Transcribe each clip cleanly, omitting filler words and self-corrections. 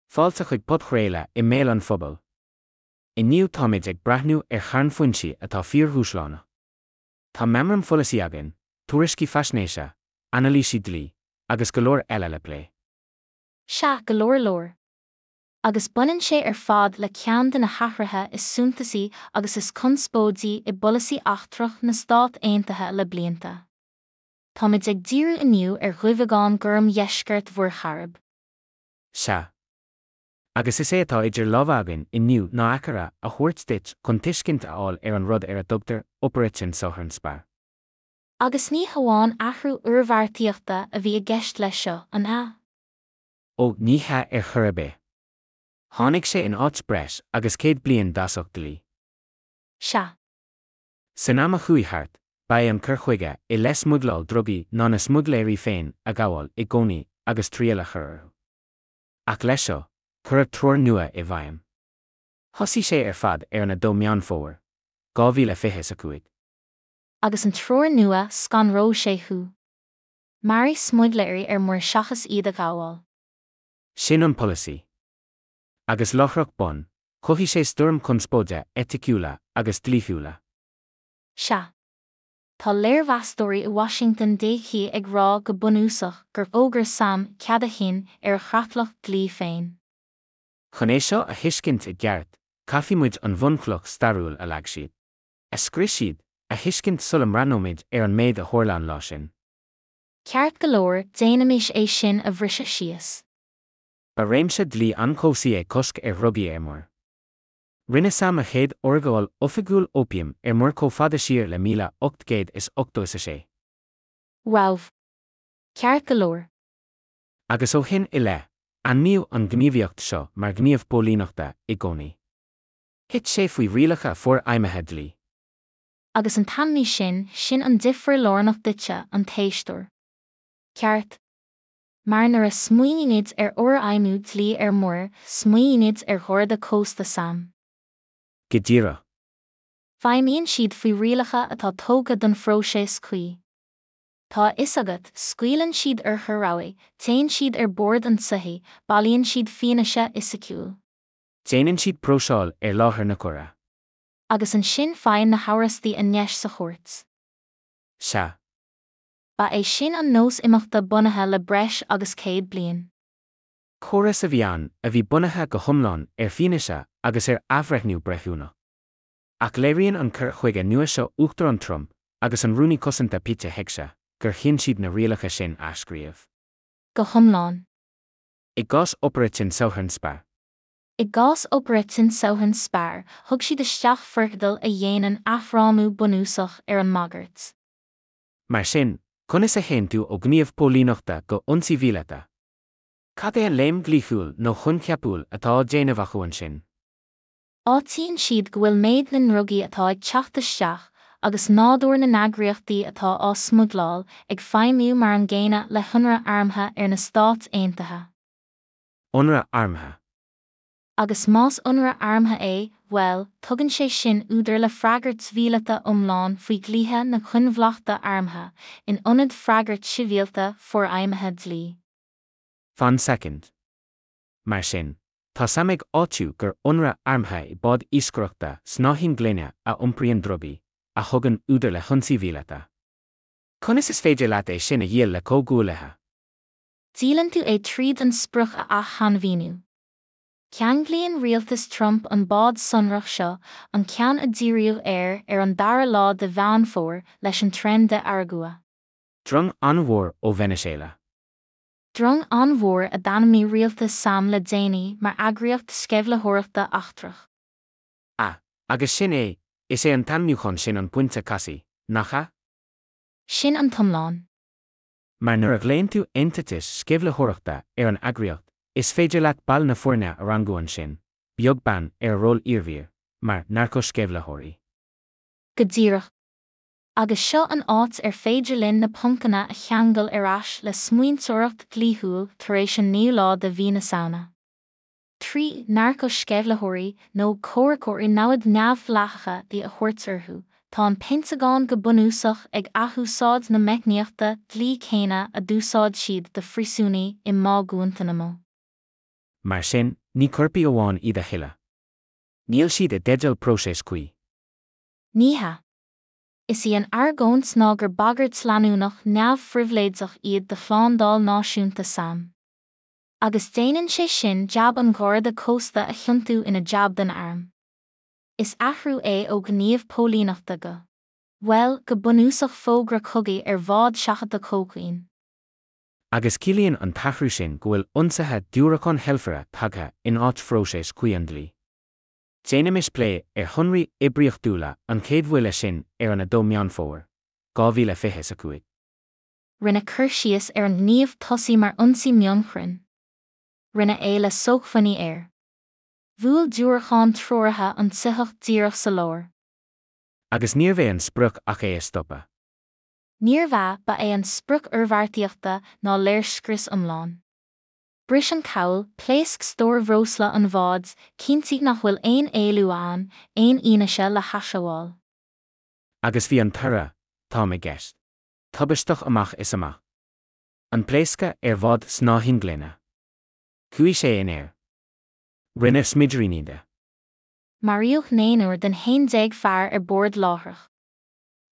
Fáilte chuig podchraoladh i mbéal an phobail. Inniu táimid ag breathnú ar charn foinsí atá fíordhúshlánach. Tá meamraim pholasaí againn, tuairiscí faisnéise, anailísí dlí, agus go leor eile le plé. Sea, go leor leor. Agus baineann sé ar fad le ceann de na hathruithe is suntasaí agus is conspóidí i bpolasaí eachtrach na Stát Aontaithe le blianta. Táimid ag díriú inniu ar Dhuibheagán Gorm Dheisceart Mhuir Chairib. Sea. Agus is é atá idir lámha againn inniu ná aicearra a thabhairt duit chun tuiscint a fháil ar an rud ar a dtugtar Operation Southern Spar. Agus ní hamháin athrú oirbheartaíochta a bhí i gceist leis seo, an ea? Ó, ní hea ar chor ar bith. Tháinig sé in áit breis agus 100 bliain d'fhasach dlí. Sea. San am a chuaigh thart, ba é an cur chuige i leith smuigleáil drugaí ná na smuigléirí féin a ghabháil i gcónaí agus triail a chur orthu. Ach leis seo, cuireadh treoir nua i bhfeidhm. Thosaigh sé ar fad ar an 2 Meán Fómhair, 2025. Agus an treoir nua, scanróidh sé thú. Maraigh smuigléirí ar muir seachas iad a ghabháil. Sin an polasaí. Agus láithreach bonn, chothaigh sé stoirm chonspóide eiticiúla agus dlíthiúla. Sea. Tá léirmheastóirí i Washington DC ag rá go bunúsach gur fhógair sam cead a chinn ar a chreatlach dlí féin. Chun é seo a thuiscint i gceart, caithfidh muid an bhunchloch stairiúil a leag siad, a scrios siad, a thuiscint sula mbreathnóimid ar an méid a tharla an lá sin. Ceart go leor, déanaimis é sin a bhriseadh síos. Ba réimse dlí an-chobhsaí é cosc ar dhrugaí ar muir. Rinne sam a chéad urghabháil oifigiúil óipiam ar muir chomh fada siar le 1886. Wow. Ceart go leor. Agus ó shin i leith, ainmníodh an ghníomhaíocht seo mar ghníomh póilíneachta i gcónaí. Thit sé faoi rialacha forfheidhmithe dlí. Agus an t-ainmniú sin, sin an difear lárnach duitse, an t-éisteoir. Ceart? Mar nuair a smaoinímid ar fhorfheidhmiú dlí ar muir, smaoinímid ar Gharda Cósta sam. Go díreach. Feidhmíonn siad faoi rialacha atá tógtha don phróiseas cuí. Tá a fhios agat, scaoileann siad urchair rabhaidh, téann siad ar bord an tsoithigh, bailíonn siad fianaise fhisiciúil. Déanann siad próiseáil ar láthair na coire. Agus ansin faigheann na hamhrastaí a ndeis sa chúirt. Sea. Ba é sin an nós imeachta bunaithe le breis agus 100 bliain. Córas a bhí ann a bhí bunaithe go hiomlán ar fianaise agus ar athbhreithniú breithiúnach. Ach léiríonn an cur chuige nua seo Uachtarán Trump agus an Rúnaí Cosanta Pete Hegseth gur chinn siad na rialacha sin a athscríobh. Go hiomlán. I gcás Operation Southern Spar. I gcás Operation Southern Spar, thug siad isteach foirceadal a dhéanann athfhrámú bunúsach ar an mbagairt. Mar sin, conas a théann tú ó ghníomh póilíneachta go ionsaí míleata? Cad é an léim dhlíthiúil nó choincheapúil atá á déanamh acu ansin? Áitíonn siad go bhfuil méid na ndrugaí atá ag teacht isteach, agus nádúr na n-eagraíochtaí atá á smuigleáil, ag feidhmiú mar an gcéanna le hionradh armtha ar na Stáit Aontaithe. Ionradh armtha. Agus más ionradh armtha é, bhuel, tugann sé sin údar le freagairt mhíleata iomlán faoi dhlíthe na coinbhleachta armtha, in ionad freagairt shibhialta forfheidhmithe dlí. Fan soicind. Mar sin, tá sam ag áitiú gur ionradh armtha é bád iascaireachta snáithín gloine a iompraíonn drugaí, a thugann údar le hionsaí mhíleata. Conas is féidir leat é sin a dhíol le comhghuaillithe? Díolann tú é tríd an sprioc a ath-shainmhíniú. Ceanglaíonn rialtas Trump an bád sonrach seo, an ceann a díríodh air ar an dara lá de Mheán Fómhair, leis an Tren de Aragua. Drong an-mhór ó Veiniséala. Drong an-mhór a d'ainmnigh rialtas sam le déanaí mar eagraíocht sceimhlitheoireachta eachtrach. Ah, agus sin é, is é an t-ainmniúchán sin an pointe casaidh, nach ea? Sin an t-iomlán. Mar nuair a ghlaonn tú eintiteas sceimhlitheoireachta ar an eagraíocht, is féidir leat baill na foirne a rangú ansin, beag beann ar a ról iarbhír, mar narco-sceimhlitheoirí. Go díreach. Agus seo an áit ar féidir linn na poncanna a cheangal ar ais le smaointeoireacht dhlíthiúil tar éis an naoú lá de mhí na Samhna. 3 narco-sceimhlitheoirí nó comhraiceoirí namhad neamhdhleathacha a thabhairt orthu, tá an Peinteagán go bunúsach ag athúsáid na meicníochta dlí céanna a d'úsáid siad do phríosúnaigh i mBá Guantanamo. Mar sin, ní coirpigh amháin iad a thuilleadh. Níl siad i dteideal próiseas cuí. Ní hea. Is í an argóint ná gur bagairt leanúnach neamhphribhléideach iad do shlándáil náisiúnta sam. Agus déanann sé sin jab an Gharda Cósta a chiontú ina jab don arm. Is athrú é ó ghníomh póilíneachta go, bhuel, go bunúsach fógra cogaidh ar bhád seachadta cócaoin. Agus ciallaíonn an t-athrú sin go bhfuil ionsaithe diúracán heilfire tagtha in áit phróiseas cuí an dlí. Déanaimis plé ar shonraí oibríochtúla an chéad bhuille sin ar an 2 Meán Fómhair, 2025. Rinneadh cur síos ar an ngníomh tosaigh mar ionsaí mionchruinn. Rinneadh é le sócmhainní aeir. Bhuail diúracán treoraithe an tsoitheach díreach sa lár. Agus níorbh é an sprioc ach é a stopadh. Níorbh ea, ba é an sprioc oirbheartaíochta ná léirscrios iomlán. Bris an cabhail, pléasc stór bhreosla an bháid, cinntigh nach bhfuil aon éalú ann, aon fhianaise le haisghabháil. Agus bhí an toradh, táim i gceist. tubaisteach amach is amach. An pléascadh ar bhád snáithínglaine. Chuaigh sé in aer. Rinneadh smidiríní de. Maraíodh naonúr den 11 fear ar bord láithreach.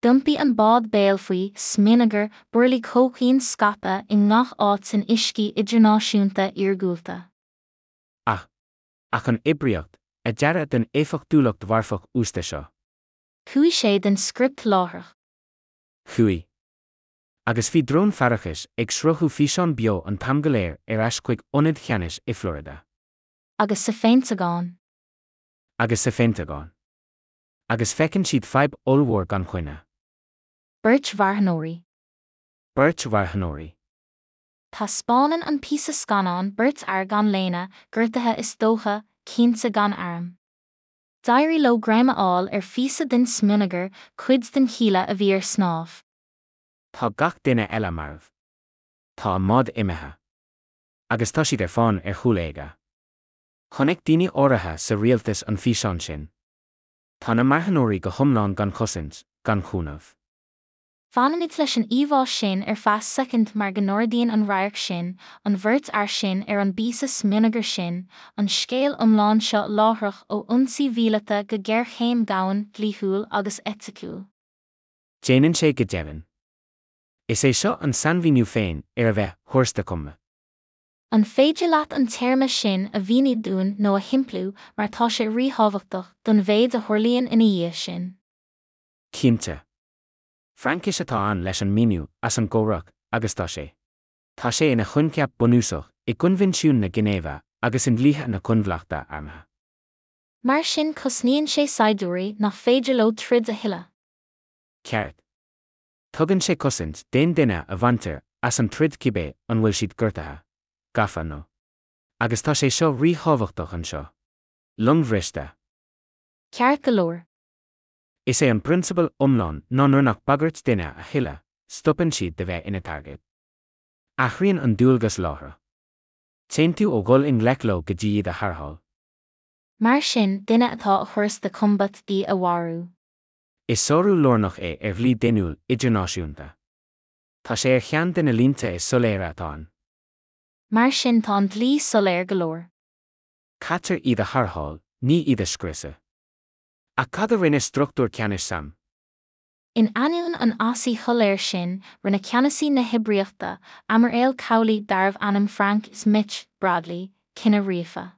D'iompaigh an bád béal faoi, smionagar, burlaí cócaoin scaipthe i ngach áit san uiscí idirnáisiúnta iargúlta. Ach. Ach an oibríocht, a dearadh don éifeachtúlacht mharfach uasta seo. Chuaigh sé den script láithreach. Chuaigh. Agus bhí drón faireachais ag sruthú físeán beo an t-am go léir ar ais chuig ionaid cheannais i Florida. Agus sa Pheinteagán. Agus sa Pheinteagán. Agus feiceann siad fadhb ollmhór gan choinne. Beirt mharthanóirí. Beirt mharthanóirí. Taispeánann an píosa scannáin beirt fhear gan léine, gortaithe is dócha, cinnte gan airm. D'éirigh leo greim a fháil ar phíosa den smionagar, cuid den chíle a bhí ar snámh. Tá gach duine eile marbh. Tá a mbád imithe. Agus tá siad ar fán ar chúl éaga. Chonaic daoine áirithe sa rialtas an físeán sin. Tá na marthanóirí go hiomlán gan chosaint, gan chúnamh. Fanaimid leis an íomhá sin ar feadh soicind mar go n-ardaíonn an radharc sin, an bheirt fhear sin ar an bpíosa smionagair sin, an scéal iomlán seo láithreach ó ionsaí mhíleata go géarchéim dhomhain dhlíthiúil agus eiticiúil. Déanann sé go deimhin. Is é seo an sainmhíniú féin ar a bheith hors de combat. An féidir leat an téarma sin a mhíniú dúinn nó a shimpliú mar tá sé ríthábhachtach don mhéid a tharlaíonn ina dhiaidh sin? Cinnte. Fraincis atá ann leis an míniú as an gcomhrac agus tá sé. Tá sé ina choincheap bunúsach i gCoinbhinsiún na Ginéive agus i ndlíthe na coinbhleachta armtha. Mar sin cosnaíonn sé saighdiúirí nach féidir leo troid a thuilleadh. Ceart. Tugann sé cosaint d'aon duine a bhaintear as an troid cibé an bhfuil siad gortaithe, gafa nó. Agus tá sé seo ríthábhachtach anseo. Longbhriste. Ceart go leor. Is é an prionsabal iomlán ná nuair nach bagairt duine a thuilleadh, stopann siad de bheith ina dtargaid. Athraíonn an dualgas láithreach. Téann tú ó dhul i ngleic leo go dtí iad a tharrtháil. Mar sin, duine atá hors de combat í a mharú. Is sárú lárnach é ar dhlí daonnúil idirnáisiúnta. Tá sé ar cheann de na línte is soiléire atá ann. Mar sin tá an dlí soiléir go leor. Caithfear iad a tharrtháil, ní iad a scriosadh. Ach cad a rinne struchtúr ceannais sam? In ainneoin an fhasaigh shoiléir sin, rinne ceannasaí na hoibríochta, aimiréal cabhlaigh darbh ainm Frank 'Mitch' Bradley, cinneadh ríofa.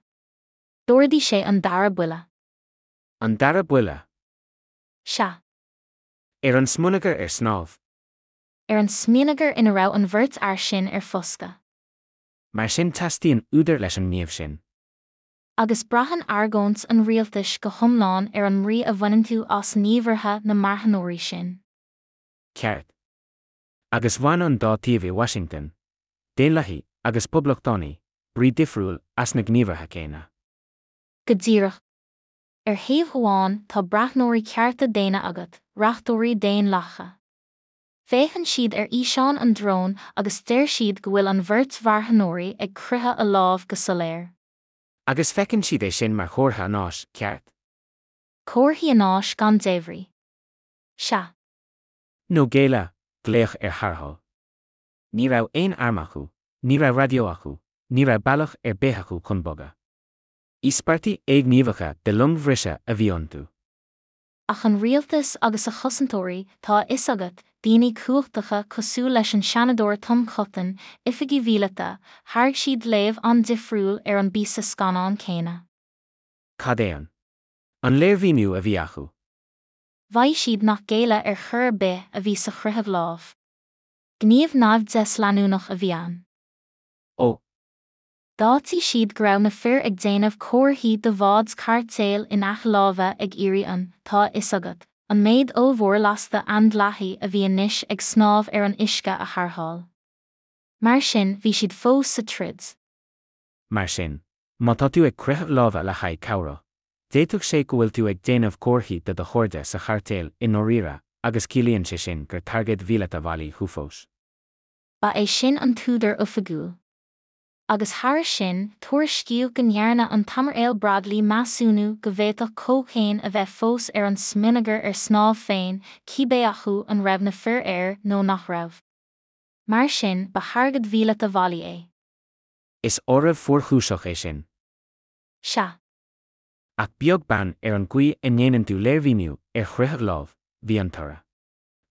D'ordaigh sé an dara buille. An dara buille? Sea. Ar an smionagar ar snámh? Ar an smionagar ina raibh an bheirt fhear sin ar foscadh. Mar sin teastaíonn údar leis an ngníomh sin. Agus braitheann argóint an rialtais go hiomlán ar an mbrí a bhaineann tú as gníomhartha na marthanóirí sin. Ceart. Agus bhain an dá taobh i Washington, Daonlathaigh agus Poblachtánaigh, brí difriúil as na gníomhartha céanna. Go díreach. Ar thaobh amháin tá breathnóirí cearta daonna agat, reachtóirí daonlathacha. Féachann siad ar fhíseán an dróin agus deir siad go bhfuil an bheirt mharthanóirí ag croitheadh a lámh go soiléir. Agus feiceann siad é sin mar chomhartha anáis, ceart? Comharthaí anáis gan débhrí. Sea. Nó géilleadh, glaoch ar tharrtháil. Ní raibh aon arm acu, ní raibh raidió acu, Ní raibh bealach ar bith acu chun bogadh. Íospartaigh éighníomhacha de longbhriseadh a bhí iontu. Ach an rialtas agus a chosantóirí, tá a fhios agat, daoine cumhachtacha cosúil leis an Seanadóir Tom Cotton, oifigigh mhíleata, thairg siad léamh an-difriúil ar an bpíosa scannáin céanna. Cad é an. An léirmhíniú a bhí acu? Mhaígh siad nach géilleadh ar chor ar bith a bhí sa chroitheadh lámh. Gníomh naimhdeas leanúnach a bhí ann. Ó. D'áitigh siad go raibh na fir ag déanamh comharthaí do bháid chairtéil in aice láimhe ag iarraidh an, tá a fhios agat, an méid ollmhór lasta aindleathaí a bhí anois ag snámh ar an uisce a tharrtháil. Mar sin, bhí siad fós sa troid. Mar sin, má tá tú ag croitheadh láimhe le haghaidh cabhrach, d'fhéadfadh sé go bhfuil tú ag déanamh comharthaí do do chairde sa chairtéal i ndáiríre agus ciallaíonn sé sin gur targaid mhíleata bhailí thú fós. Ba é sin an t-údar oifigiúil. Agus thairis sin, tuairiscíodh go ndearna an tAimiréal Bradley measúnú go bhféadfadh cócaon a bheith fós ar an smionagar ar snámh féin, cibé acu an raibh na fir air nó nach raibh. Mar sin, ba thargaid mhíleata bhailí é. Is áireamh fuarchúiseach é sin. Sea. Ach beag beann ar an gcaoi a ndéanann tú léirmhíniú ar chroitheadh lámh, bhí an toradh.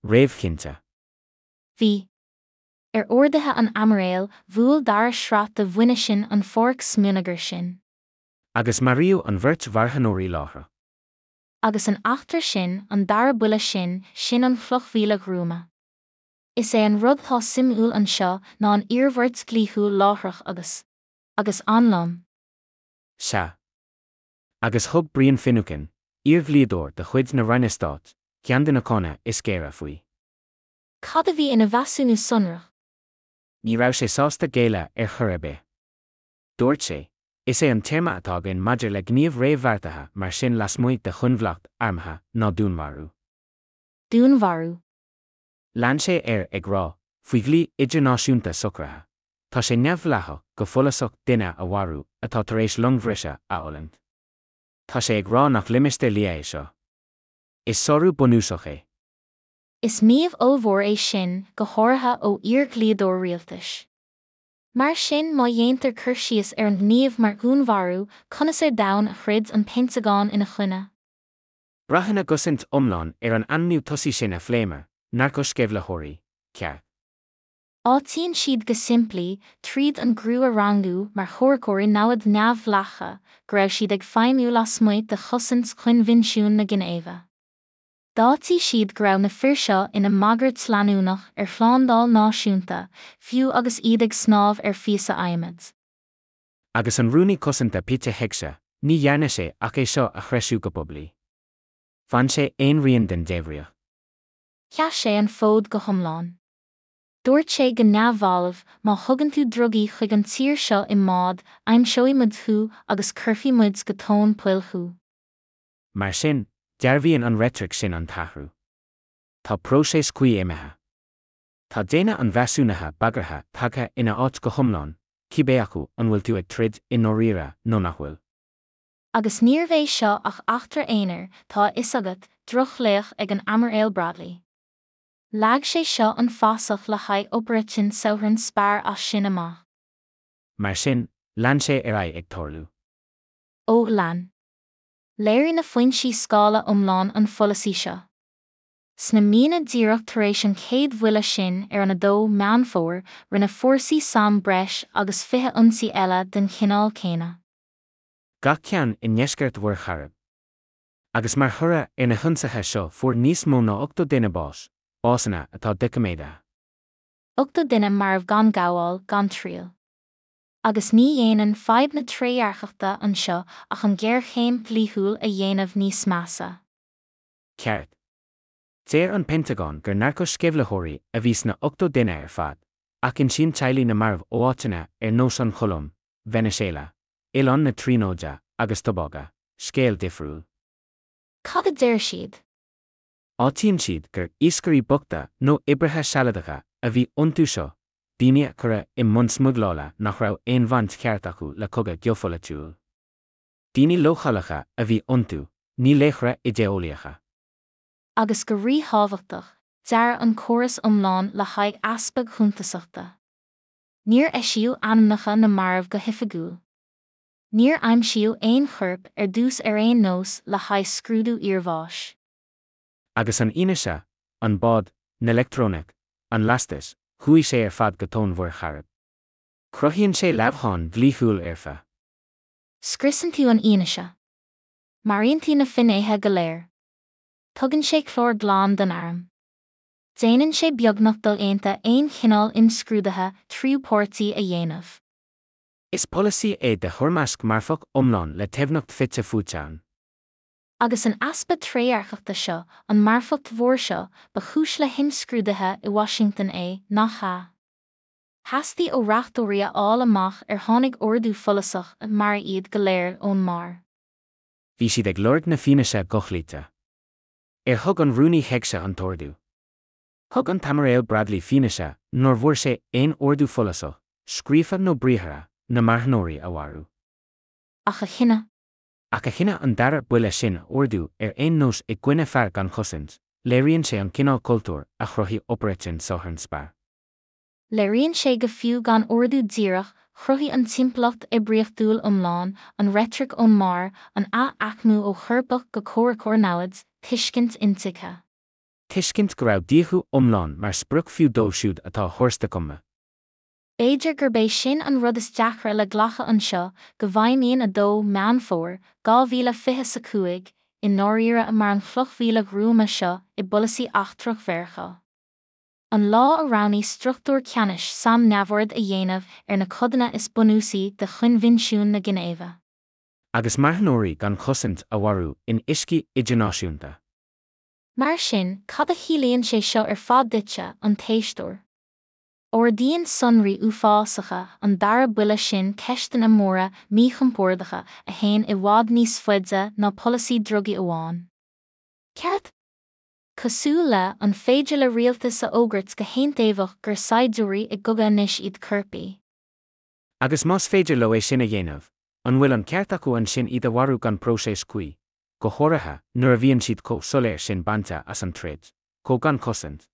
réamhchinnte. Bhí. Ar orduithe an Aimiréil, bhuail dara sraith de mhuinisin an pháirc smionagair sin. Agus maraíodh an bheirt mharthanóirí láithreach. Agus an eachtra sin, an dara buille sin, sin an chloch mhíle ghruama. Is é an rud atá suimiúil anseo ná an iarmhairt dhlíthiúil láithreach agus. agus an-lom. Sea. Agus thug Brian Finucane, iardhlíodóir de chuid na Roinne Stáit, ceann de na cáineadh is géire faoi. Cad a bhí ina mheasúnú sonrach? Ní raibh sé sásta géilleadh ar chor ar bith. Dúirt sé, Is é an téarma atá againn maidir le gníomh réamhbheartaithe mar sin lasmuigh de choinbhleacht armtha ná dúnmharú. Dúnmharú. Lean sé air ag rá, Faoi dhlí idirnáisiúnta socraithe, tá sé neamhdhleathach go follasach duine a mharú atá tar éis longbhriseadh a fhulaingt. Tá sé ag rá nach limistéar liath é seo. Is sárú bunúsach é. Is maíomh ollmhór é sin, go háirithe ó iar-dhlíodóir rialtais. Mar sin, má dhéantar cur síos ar an ngníomh mar dhúnmharú, conas ar domhan a throid an Peinteagán ina choinne? Braitheann a gcosaint iomlán ar an ainmniú tosaigh sin a phléamar, narcosceimhlitheoirí, ceart. Áitíonn siad go simplí, tríd an gcriú a rangú mar chomhraiceoirí namhad neamhdhleathacha, go raibh siad ag feidhmiú lasmuigh de chosaint Choinbhinsiún na Ginéive. D'áitigh siad go raibh na fir seo ina mbagairt leanúnach ar shlándáil náisiúnta, fiú agus iad ag snámh ar phíosa adhmaid. Agus an Rúnaí Cosanta Pete Hegseth, ní dhearna sé ach é seo a threisiú go poiblí. Bhain sé aon rian den débhríocht. Sheas sé an fód go hiomlán. Dúirt sé go neamhbhalbh, má thugann tú drugaí chuig an tír seo i mbád, aimseoidh muid thú agus cuirfidh muid go tóin poill thú. Mar sin, dearbhaíonn an reitric sin an t-athrú. Tá próiseas cuí imithe. Tá déine an mheasúnaithe bagartha tagtha ina áit go hiomlán, cibé acu an bhfuil tú ag troid i ndáiríre nó nach bhfuil. Agus níorbh é seo ach eachtra aonair, tá a fhios agat, drochlaoch ag an Aimiréal Bradley. Leag sé seo an fasach le haghaidh Operation Southern Spar as sin amach. Mar sin, lean sé ar aghaidh ag tarlú. Ó, lean. Léirigh na foinsí scála iomlán an pholasaí seo. Sna míonna díreach tar éis an chéad bhuille sin ar an 2 Meán Fómhair, rinne fórsaí sam breis agus 20 ionsaí eile den chineál céanna. Gach ceann i ndeisceart Mhuir Chairib. Agus mar thoradh ar na hionsaithe seo fuair níos mó ná 80 duine bás, básanna atá doiciméadaithe. 80 duine marbh gan gabháil, gan triail. Agus ní dhéanann fadhb na trédhearcachta anseo ach an ghéarchéim dhlíthiúil a dhéanamh níos measa. Ceart. Deir an Peinteagán gur narcosceimhlitheoirí a bhí sna 80 duine ar fad, ach insíonn teaghlaigh na marbh ó áiteanna ar nós an Cholóim, Veiniséala, Oileán na Tríonóide agus Tobága, scéal difriúil. Cad a deir siad? Áitíonn siad gur iascairí bochta nó oibrithe sealadacha a bhí iontu seo, daoine a cuireadh i mbun smuigleála nach raibh aon bhaint cheart acu le cogadh geopholaitiúil. Daoine leochaileacha a bhí iontu, ní laochra idé-eolaíocha. Agus go ríthábhachtach, dearadh an córas iomlán le haghaidh easpa cuntasachta. Níor eisíodh ainmneacha na marbh go hoifigiúil. Níor aimsíodh aon chorp ar dtús ar aon nós le haghaidh scrúdú iarbháis. Agus an fhianaise, an bád, na leictreonaic, an lastas, chuaigh sé ar fad go tóin Mhuir Chairib. Cruthaíonn sé leamhcán dlíthiúil fhoirfe. Scriosann tú an fhianaise. Maraíonn tú na finnéithe go léir. Tugann sé clár glan don arm. Déanann sé beagnach dodhéanta aon chineál imscrúdaithe tríú páirtí a dhéanamh. Is polasaí é de thoirmeasc marfach iomlán le teifneacht fite fuaite ann. Agus an easpa trédhearcachta seo, an marfacht mhór seo, ba chúis le himscrúduithe i Washington é, nach ea? Theastaigh ó reachtóirí a fháil amach ar tháinig ordú follasach 'maraigh iad go léir' ón mbarr. Bhí siad ag lorg na fianaise dhochloíte. Ar thug an Rúnaí Hegseth an t-ordú? Thug an tAimiréal Bradley fianaise nár bhfuair sé aon ordú follasach, scríofa nó briathartha, na marthanóirí a mharú. Ach a chinneadh. Ach a chinneadh an dara buille sin a ordú ar aon nós i gcoinne fear gan chosaint, léiríonn sé an cineál cultúir a chruthaigh Operation Southern Spar. Léiríonn sé go fiú gan ordú díreach, chruthaigh an timpeallacht oibríochtúil iomlán, an reitric ón mbarr, an ath-aicmiú ó choirpeach go comhraiceoir namhad, tuiscint intuigthe. Tuiscint go raibh díothú iomlán mar sprioc fiú dóibh siúd atá hors de combat. B'fhéidir gurb é sin an rud is deacra le glacadh anseo, go bhfeidhmíonn 2 Meán Fómhair, 2025, i ndáiríre mar an chloch mhíle ghruama seo i bpolasaí eachtrach Mheiriceá. An lá a roghnaigh struchtúr ceannais sam neamhaird a dhéanamh ar na codanna is bunúsaí de Choinbhinsiún na Ginéive. Agus marthanóirí gan chosaint a mharú in uiscí idirnáisiúnta. Mar sin, cad a chiallaíonn sé seo ar fad duitse, an t-éisteoir? Ardaíonn sonraí uafásacha an dara buille sin ceisteanna móra míchompordacha a théann i bhfad níos faide ná polasaí drugaí amháin. Ceart? Cosúil le, an féidir le rialtas a fhógairt go haontaobhach gur saighdiúirí i gcogadh anois iad coirpigh? Agus más féidir leo é sin a dhéanamh, an bhfuil an ceart acu ansin iad a mharú gan próiseas cuí, go háirithe nuair a bhíonn siad chomh soiléir sin bainte as an troid, chomh gan chosaint?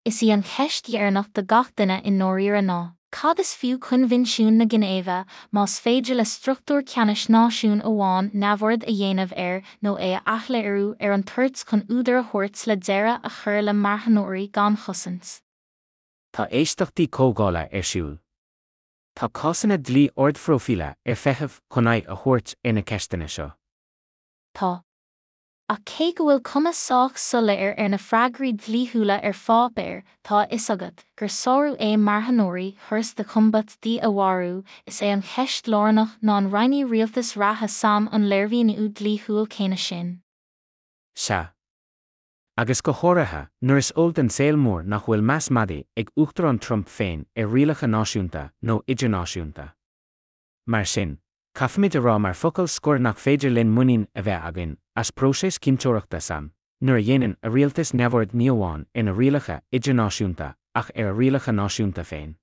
Is í an cheist dheireanach do gach duine i ndáiríre ná, cad is fiú Coinbhinsiún na Ginéive más féidir le struchtúr ceannais náisiúin amháin neamhaird a dhéanamh air nó é a athléiriú ar an toirt chun údar a thabhairt le deireadh a chur le marthanóirí gan chosaint? Tá éisteachtaí comhdhála ar siúl. Tá cásanna dlí ardphróifíle ar feitheamh chun aghaidh a thabhairt ar na ceisteanna seo. Tá. Ach cé go bhfuil cuma sách soiléir ar na freagraí dlíthiúla ar pháipéar, tá a fhios agat, gur sárú é marthanóirí hors de combat D a mharú, is é an cheist lárnach ná an roinnfidh rialtas reatha sam an léirmhíniú dlíthiúil céanna sin. Sea. Agus go háirithe nuair is eol don saol mór nach bhfuil meas madaidh ag Uachtarán Trump féin ar rialacha náisiúnta nó idirnáisiúnta. Mar sin, caithfimid a rá mar focal scoir nach féidir linn muinín a bheith againn as próiseas cinnteoireachta sam nuair a dhéanann a rialtas neamhaird ní amháin ar na rialacha idirnáisiúnta ach ar a rialacha náisiúnta féin.